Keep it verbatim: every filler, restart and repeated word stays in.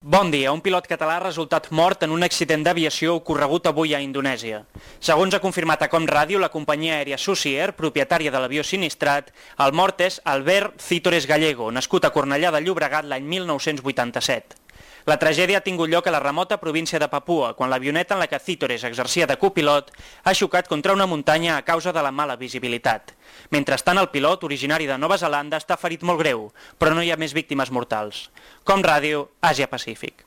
Bon dia. Un pilot català ha resultat mort en un accident d'aviació ocorregut avui a Indonèsia. Segons ha confirmat a Com Ràdio, la companyia aèria Susi Air, propietària de l'avió sinistrat, el mort és Albert Cítores Gallego, nascut a Cornellà de Llobregat l'any mil nou-cents vuitanta-set. La tragèdia ha tingut lloc a la remota província de Papua, quan l'avioneta en la que Cítores exercia de copilot ha xocat contra una muntanya a causa de la mala visibilitat. Mentrestant, el pilot, originari de Nova Zelanda, està ferit molt greu, però no hi ha més víctimes mortals. Com Ràdio, Àsia Pacífic.